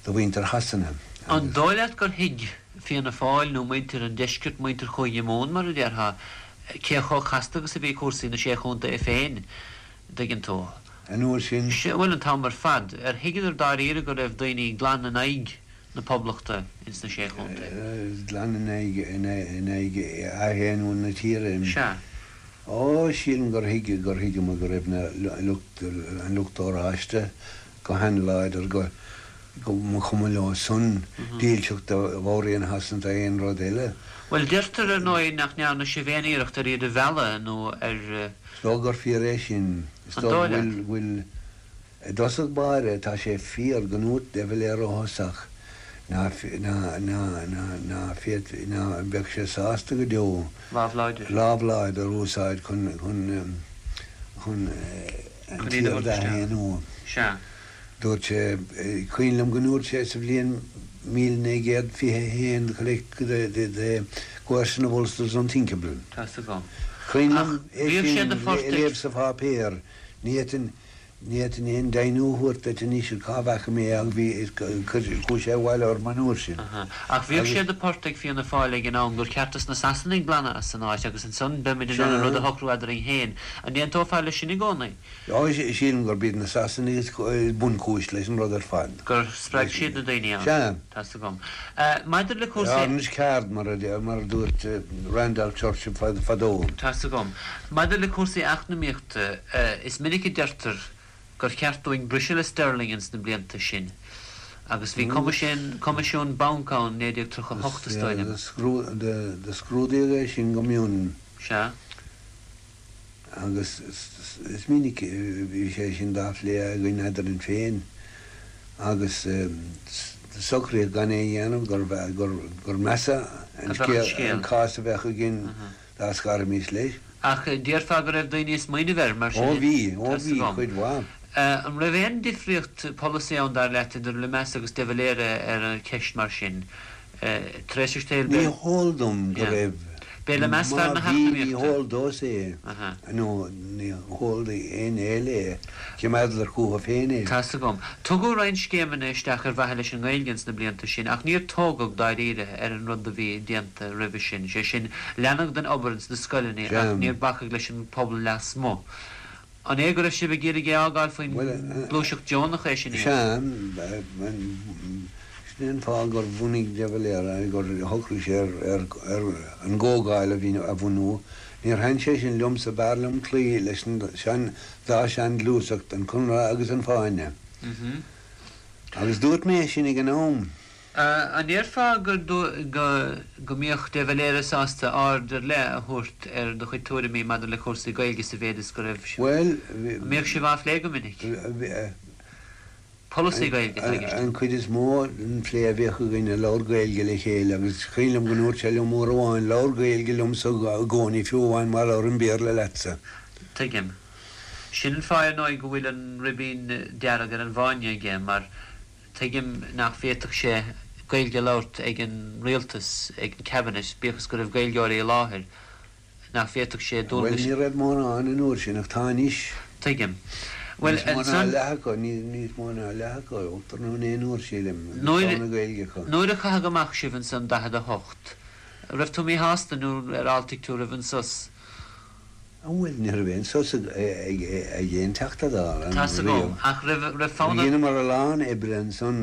do mhuintir Shasana An dóigh leat gur thuig Fianna Fáil nó muintir an deiscirt, muintir Chúige Mumhan mar a déarfá, cé chomh casta agus a bhí cúrsaí na Sé Chontae féin, dtuigeann tú? An uair sin. Sea, bhuel, an t-am ar fad. Ar thuigeadar dáiríre go raibh daoine glan in aghaidh na Poblachta ins na Sé Chontae? Glan in aghaidh, in aghaidh athaonú na tíre. Sea. Ó, sílim gur thuig, gur thuigeamar go raibh na lucht, an lucht oráiste go han-láidir, go, go mba chuma leo san dílseacht do Mhór-Roinn Shasana nó aon rud eile. Bhuel, deirtear, ar ndóigh, nach ndearna sibh aon iarracht ar iad a mhealladh nó ar. Is dóigh gur fíor é sin. Is An dóigh dóigh go leat? bhfuil, bhfuil, i dtosach báire, tá sé fíor go ndúirt de Valera ó thosach ná, ná, ná, ná, ná féad, ná beadh sé sásta go deo Lámh láidir. lámh láidir a úsáid chun, chun, chun an Chun iad a tír thabhairt isteach. d'aonú. Sea. Dúirt sé, cuimhin liom go ndúirt sé sa bhliain 1921 the the the coercion of Ulster is unthinkable. Tá's agam. Cuimhin Ach liom é bhíodh sé sin de phort a ag. léamh sa pháipéar. Ní fhéadfainn, ní fhéadfainn aon deimhniú a thabhairt duit anois ar cá bhfaca mé é ach bhí, chuaigh sé abhaile orm an uair sin. Aha. Ach bhíodh Agus. sé de phort ag Fianna Fáil ag an am gur cheart dos na Sasanaigh glanadh as an áit agus ansan beimid in ann an rud a Sea. shocrú eadrainn féin. An n-aontófá leis sin i gcónaí? Á, sílim gurb iad na Sasanaigh is bunchúis leis an rud ar fad. Gur spreag siad na daoine ann. Sea. Tá's agam. Maidir le cúrsaí. Orange card, mar a dúirt Randolph Churchill fadó. Tá's agam. Maidir le cúrsaí eacnamaíochta, is minic a deirtear gur cheart dúinn briseadh le Sterling ins na blianta sin. Agus bhí Coimisiún Banc ann 1938, is dóigh liom. Do scrúdaíodh é sin go mion. Sea. Agus is minic a bhí sé sin dá phlé againn eadrainn féin agus socraíodh gan é a dhéanamh, gur measa an scéal, an cás a bheadh againn dá scarfaimis leis. Ach déarfá go raibh daoine ag smaoineamh air, mar sin. Ó bhí, ó bhí, cuid mhaith. An raibh aon difríocht polasaí ann, dar leat, idir Lemass agus de Valera ar an cheist mar sin? Tar éis an tsaoil, Ní heol dom go raibh. B'é Lemass Má fear na bhí, ní heacnamaíochta. heol domhsa é, nó ní heol d'éinne eile é. Choimeádadar chucu féin é. Tá's agam. Tugadh roinnt scéimeanna isteach ar mhaithe leis an nGaeilge ins na blianta sin, ach níor tógadh, dáiríre, ar an rud a bhí déanta roimhe sin. Sé sin, leanadh den obair ins na scoileanna ach níor bacadh leis an bpobal lasmuigh. An é go raibh sibh ag iarraidh é a fhágáil faoin ngluaiseacht deonach é sin a Sea, sin é an fáth gur bhunaigh de Valera, gur shocraigh sé ar an gComhdháil a bhunú. Níor thaitin sé sin liomsa, b'fhearr liom cloí leis an dá seanghluaiseacht, an Conradh agus an Fáinne. Agus dúirt mé é sin ag an am. An ndéarfá go go mbíodh de Valera sásta aird ar leith a thabhairt ar do chuid tuairimí maidir le cúrsaí Gaeilge sa mhéid is go raibh Bhuel, An mbíodh sibh á phlé go minic? Polasaí Gaeilge atá i gceist An agam. chuid is mó den phlé a bhíodh againn ag labhairt Gaeilge le chéile agus is cuimhin liom go ndúirt sé liom uair amháin, Labhair Gaeilge liomsa i gcónaí fiú amháin má labhraím Béarla leatsa. Tuigim. Sin an fáth ar ndóigh go bhfuil an ribín dearg ar an bhFáinne aige mar Tuigim nach bhféadfadh sé Gaeilge a labhairt ag an rialtas, ag an Cabinet, bíodh is go raibh Gaeilgeoirí i láthair, nach bhféadfadh sé Bhuel, dualgais. ní raibh mórán an uair sin, ach tá anois. Tuigim. Bhuel, Níos mó ná ansan. leath acu, níos mó ná leath acu, ochtar nó naonúr, sílim, agus Nuair, tá na Gaeilge acu. nuair a caitheadh amach sibh ansan 48, raibh tú míshásta nó ar fháiltigh tú roimh an sos? Bhuel, ní raibh aon sos ag aon Teachta Dála Tá's agam, riamh. ach raibh, raibh fonn ort. Dheineamar a lán oibre ansan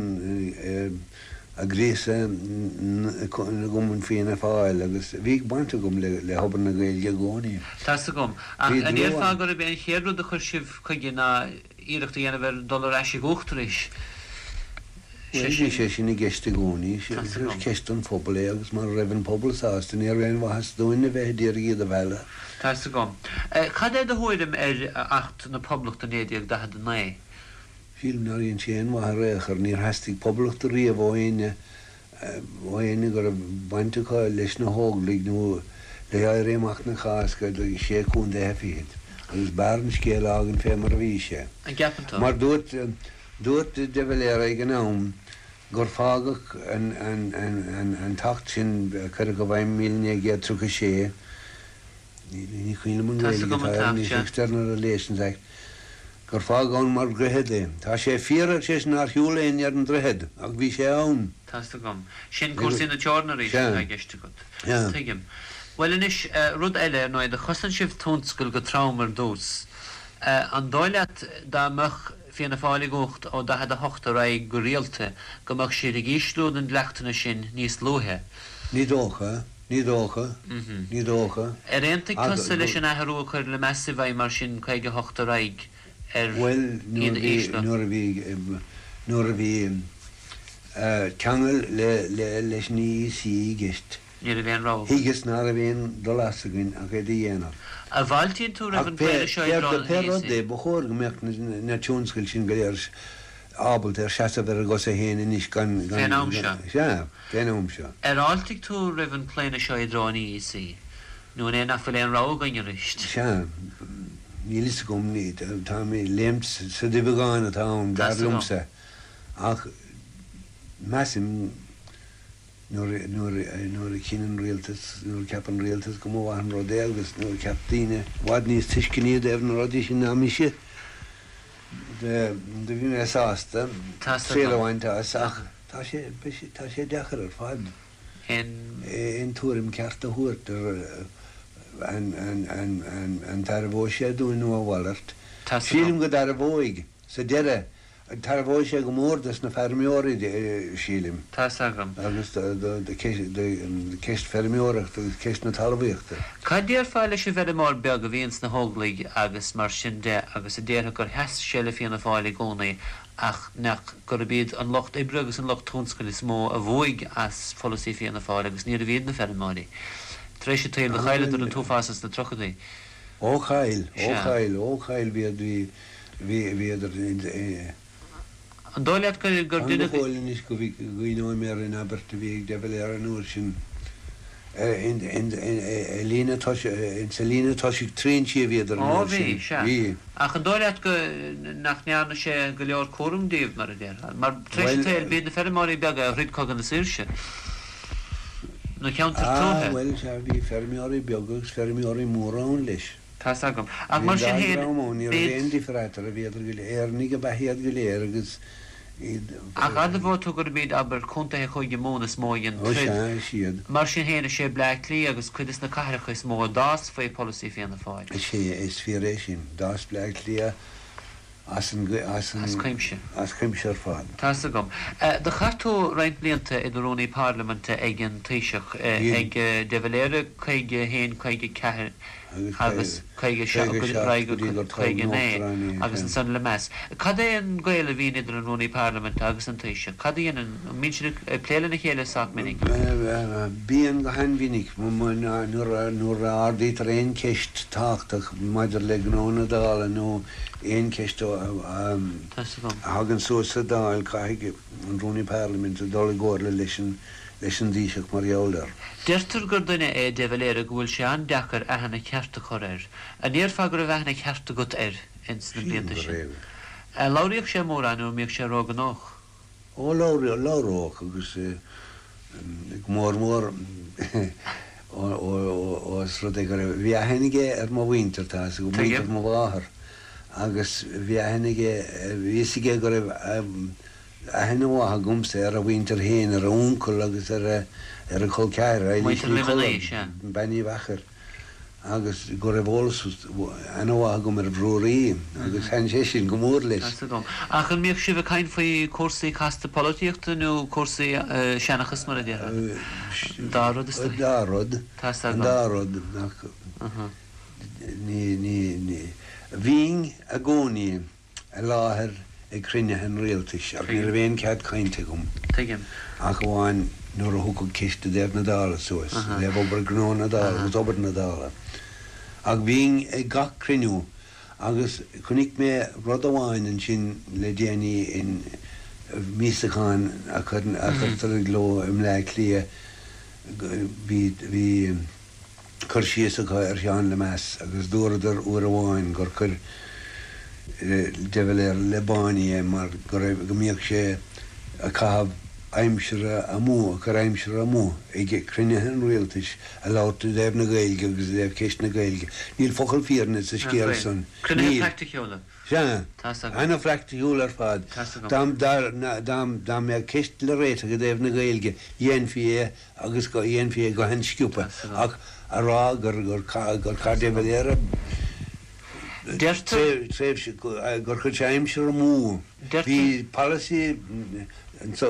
ag gríosadh na gcumann Fianna Fáil agus bhí baint agam le hobair na Gaeilge i gcónaí. Tá's agam, ach Bhí an ndéarfá dlúth. gurb é an chéad rud a chuir sibh chuige ná iarracht a dhéanamh ar dul ar ais i gcumhacht arís? Bhuel, bhí sé sin i gceist i gcónaí. Is ceist don phobal é agus mara raibh an pobal sásta ní raibh aon mhaitheas dúinn a bheith a d'iarraidh iad a mhealladh. Tá's agam. Cad é do thuairim ar Acht na Poblachta 1949? Sílim nár dhein sé aon mhaith ar aon chor. Níor theastaigh poblacht riamh ó éinne, ó éinne go raibh baint acu leis na hÓglaigh nó le hÉirí Amach na Cásca do Sé Contaetha Fichead. Agus b'fhearr an scéal a fhágaint fé mar a bhí sé. An gceapann tú? Mar dúirt, dúirt de Valera ag an am gur fágadh an tAcht sin a cuireadh i bhfeidhm i 1936, Ní cuimhin liom an Tá's Ghaeilge agam atá an air t-acht, anois, sea. External Relations Act, gur fágadh ann mar dhroichead é. Tá sé fíor, ar seisean, nár shiúil éinne ar an droichead, ach bhí sé ann. Tá's agam. Sin cúrsaí na teorann arís Sea. atá i gceist agat. Sea. Tuigim. Bhuel anois, rud eile, ar ndóigh, do chosain sibh tionscal go trom ar dtús. An dóigh leat dá mbeadh Fianna Fáil i gcumhacht ó 48 ar aghaidh go rialta go mbeadh siad ag ísliú na ndleachtanna sin níos luaithe? Ní dócha. Ní dócha. Ní dócha. Ar aontaigh tusa leis an athrú a chuir Lemass i bhfeidhm mar sin 58 ar aghaidh ar Bhuel, iad nuair a a bhí, ísliú? nuair a bhí, nuair a bhí ceangal le, le, leis an EEC i gceist, Ní raibh aon rogha agat. thuigeas ná raibh aon dul as againn ach é do dhéanamh. An bhfáiltíonn tú roimh Ach an pé, gclaonadh seo i pé, dtreo an pé rud EEC? é, ba chóir go mbeadh na, na tionscail sin go léir ábalta ar seasamh ar a gcosa féin anois gan, gan, Fén am seo. Sea. Fén am seo. Ar fháiltigh tú roimh an claonadh seo i dtreo an EEC, nó an é nach bhfuil aon rogha againn arís? Sea, níl fhios agam, táim ag léimt sa duibheagán atá ann, dar Tá's agam. liomsa, ach measaim nuair, nuair, nuair a chinn an rialtas, nuair a cheap an rialtas go mba mhaith an rud é agus nuair a cheap daoine i bhfad níos tuisceanaí i dtaobh na rudaí sin ná mise, do bhí mé sásta Tá's triail a agam. bhaint as ach. Tá sé, tá sé deacair ar fad aon tuairim ceart a thabhairt ar an dtairbheoidh sé dúinn nó a mhalairt. Sílim go dtairbheoidh, sa deireadh, tairbheoidh sé go mór dos na feirmeoirí, sílim. Tá's agam. Agus do ceist feirmeoireachta agus ceist na talmhaíochta. Cad déarfá leis an bhfeirmeoir beag a bhíonn sna hÓglaigh agus mar sin de agus a déarfadh gur sheas sé le Fianna Fáil i gcónaí ach nach gurb iad an lucht oibre agus an lucht tionscail is mó a bhuaigh as pholasaí Fianna Fáil agus níorbh iad na feirmeoirí. Tar éis an tsaoil do chailleadar an t-uafás ins na tríochaidí. Ó chaill, ó Sea. chaill, ó chaill, bhíod, bhí, bhí, bhíodar in, eh. An dóigh leat gur, gur Fan go duine. fóill anois go gcuimhneoidh mé ar an abairt a bhí ag de Valera an uair sin, in, in, in, i líne tosaigh, sa líne tosaigh trinsí a bhíodar an Ó uair bhí, sin. sea. Bhí. Ach an dóigh leat go, nach ndearna sé go leor cúraim díobh, mar a déarfá? Mar tar éis Bhuel. an tsaoil, b'iad na feirmeoirí beaga a throid Cogadh na Saoirse. Na ceantair Ah, tuaithe. bhuel, sea, bhí feirmeoirí beaga agus feirmeoirí móra ann leis. Tá's agam. Ach Bhí an mar dá sin féin, dhream ann, ní raibh b'iad. aon difear eatarthu, bhíodar go léir, Éireannaigh ab ea iad go léir agus iad. Ach admhóidh tú gurb iad, abair, contaetha Chúige Mumhan is mó a dhein Ó troid. sea, is iad. Mar sin féin, is é Bleá Cliath agus cuid des na cathracha is mó a d'fhás faoi pholasaí Fianna Fáil. Is ea, is fíor é sin. D'fhás Bleá Cliath as an, as an. As cuimse. As cuimse ar fad. Tá's agam. Do chaith tú roinnt blianta i do Rúnaí Parlaiminte ag an Taoiseach, ag De Valera 51, 54 agus 57 go dtí go 59 agus ansan Lemass. Cad é an gaol a bhíonn idir an Rúnaí Parlaiminte agus an Taoiseach? Cad a dhéanann, an mbíonn siad ag plé lena chéile sách minic? Bíonn go han-mhinic. Nuair a ardaítear aon cheist tábhachtach maidir le gnó na Dála nó aon cheist a thagann suas sa Dáil, caithfidh an Rúnaí Parlaiminte dul i gcomhairle leis an leis an dTaoiseach mar gheall air. Deirtear gur duine é de Valera go bhfuil sé an-deacair aithne cheart a chur air. An ndéarfá go raibh aithne cheart agat air ins na Sílim blianta go sin? raibh. Labhraíodh sé mórán nó an mbíodh sé róghnóthach? Ó, labhraíodh, labhródh agus go mór mór ós rud é go raibh, bhí aithne aige ar mo mhuintir, tá fhios agat, muintir Tuigim. mo mháthar agus bhí aithne aige, bhí fhios aige go raibh, Aithne mhaith agamsa ar a mhuintir féin, ar a uncail agus ar a col ceathrair, Eilís Muintir Ní Luimnigh, sea. Cholla, Bean Uí Mheachair, agus go raibh eolas ana-mhaith agam ar Bhrúraí, agus thaitin sé sin go mór leis. Tá's agam. Ach an mbíodh sibh ag caint faoi chúrsaí casta polaitíochta nó cúrsaí seanchas, mar a déarfá? An dá rud, is An dóigh. dá rud. Tá's An agam. dá rud, ach ní, ní, ní. Bhínn i gcónaí i láthair. ag cruinnithe an rialtais ach ní raibh aon chead cainte agam. Tuigim. Ach amháin nuair a thiocfadh ceist i dtaobh na Dála suas, i dtaobh obair gnó na Dála agus obair na Dála. Ach bhínn ag gach cruinniú agus chonaic mé rud amháin ansin le déanaí in míosachán a chuirtear i gcló i mBleá Cliath, bhí, bhí. cur síos acu ar Sheán Lemass agus dúradar uair amháin gur chuir de Valera le báiní é mar go raibh, go mbíodh sé ag caitheamh aimsire amú, ag cur aimsire amú ag cruinnithe an rialtais ag labhairt i dtaobh na Gaeilge agus i dtaobh ceist na Gaeilge. Níl focal fírinne sa scéal san. Cruinnithe Níl. praiticiúla. Sea. Tá's agam. Ana-phraiticiúil ar fad. Tá's agam. Dá, dá, dá, dá mbeadh ceist le réiteach i dtaobh na Gaeilge, dhéanfaí é agus go dhéanfaí é go han-sciobtha, ach a rá gur chaith de Valera tréimhse, gur chuir sé aimsir amú. Bhí polasaí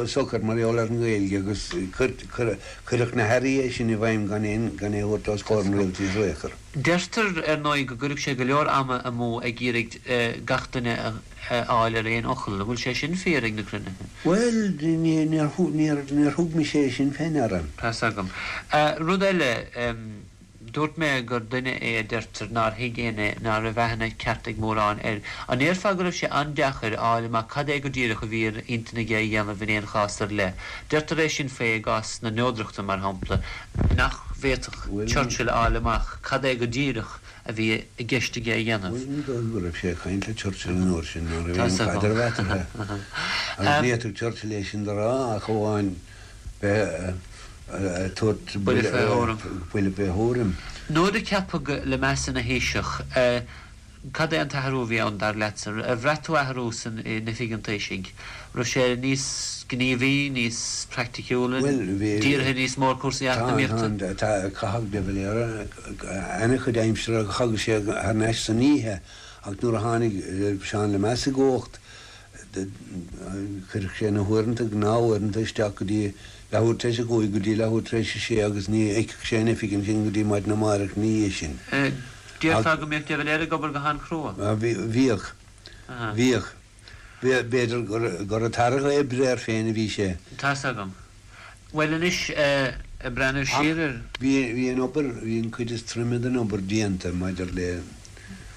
socair mar gheall ar an nGaeilge agus cuireadh na hairí é sin i bhfeidhm gan é a thabhairt os comhair an rialtais ar aon chor. Deirtear, ar ndóigh, go gcuireadh sé go leor ama amú ag iarraidh gach duine a fháil ar aon fhocal. An bhfuil sé sin fíor ag na cruinnithe? Bhuel, níor thug mise é sin fé ndeara. Tá's agam. Rud eile, dúirt mé gur duine é a deirtear nár thuig éinne, ná raibh aithne ceart ag mórán air. An ndéarfá go raibh sé an-deacair a fháil amach cad é go díreach a bhí ar intinn aige a dhéanamh in aon chás ar leith? Deirtear é sin faoi i gcás na neodrachta, mar shampla, nach bhféadfadh Churchill a fháil amach cad é go díreach a bhí i gceist aige a dhéanamh. Bhuel, ní dóigh go raibh sé ag caint le Churchill an uair sin, ná raibh aon chaidreamh eatarthu. Agus ní fhéadfadh Churchill é sin do rá ach amháin bheith ag tabhairt buille fé thuairim. Buille fé thuairim. Nuair a ceapadh Lemass ina Thaoiseach, Cad é an t-athrú a bhí ann, dar leatsa? Ar bhraith tú athrú san, in oifig an Taoisigh? Raibh sé níos gníomhaí, níos praiticiúla, dírithe níos mó ar cúrsaí eacnamaíochta? Tá, tá, chaitheadh de Valera ana-chuid aimsire, thagadh sé thar n-ais san oíche ach nuair a tháinig Seán Lemass i gcumhacht, chuirfeadh sé na huaireanta, gnáthuaireanta isteach go dtí leathuair tar éis a cúig go dtí leathuair tar éis a sé agus ní fheicfeadh sé an oifig ansin go dtí maidin amárach ina dhiaidh sin. Déarfá go mbíodh de Valera ag obair go han-chrua? Bhíodh. Bhíodh. B'fhéidir gur ag tarrac oibre air féin a bhí sé. Tá's agam. Bhuel anois, ag breathnú siar ar. Ach bhí an obair, bhí an chuid is troime den obair déanta maidir le.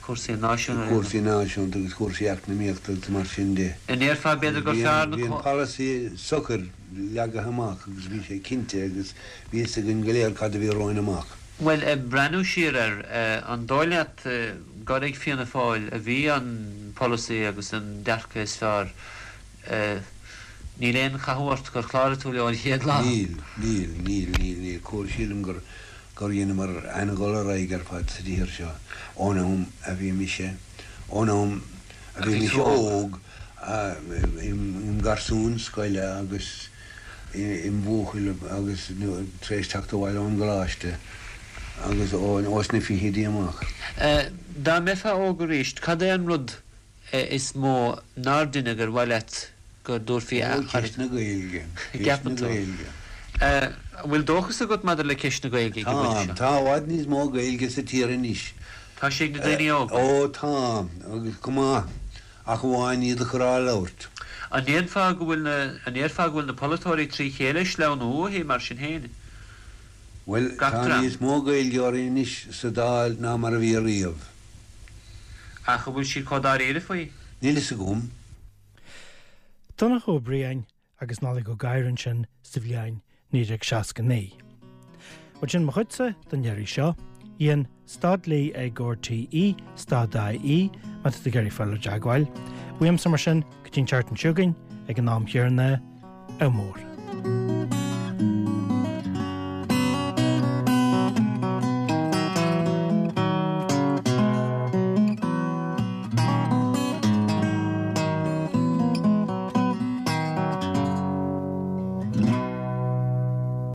cúrsaí náisiúnta. cúrsaí náisiúnta agus cúrsaí eacnamaíochta agus mar sin de. An ndéarfá b'fhéidir gur fearr na. Bhí an polasaí socair leagtha amach agus bhí sé cinnte agus bhí fhios againn go léir cad a bhí romhainn amach. Bhuel, ag breathnú siar air, an dóigh leat gur ag Fianna Fáil a bhí an polasaí agus an dearcadh is fearr? Níl aon chathú ort gur chláraigh tú leo an chéad lá? Níl, níl, níl, níl, níl. Cúl, sílim gur, gur dheineamar an-dhul ar aghaidh ar fad sa tír seo ón am a bhí mise, ón am a bhí mise óg, im gharsún scoile agus im bhuachaill agus tar éis teacht abhaile ón gcoláiste agus ós na fichidí amach. Dá mbeifeá óg arís, cad é an rud is mó nár deineadh ar mhaith leat go dtabharfaí Ó, ceist na Gaeilge. Ceist na Gaeilge. An bhfuil dóchas agat maidir le ceist na Gaeilge ag an bpointe seo? Tá. Tá i bhfad níos mó Gaeilge sa tír anois. Tá sé ag na daoine óga? Ó, tá, agus go maith. Ach amháin iad a chur á labhairt. An ndéarfá go bhfuil na, an ndéarfá go bhfuil na polaiteoirí trí chéile ag sleamhnú uaithi, mar sin féin? Bhuel, Gach tá dream. níos mó Gaeilgeoirí anois sa Dáil ná mar a bhí riamh. Ach an bhfuil siad chomh dáiríre faoi? Níl fhios agam. Donncha Ó Briain agus Nollaig Ó Gadhra ansin sa bhliain 1969. Bhuel sin mo chuidse don iarraidh seo. Ian, stad le ag RTÉ, stad IE, má tá tú ag iarraidh fáil i dteagmháil. Uaimse mar sin, go dtí an tseachtain seo chugainn, ag an am chéanna, ádh mór.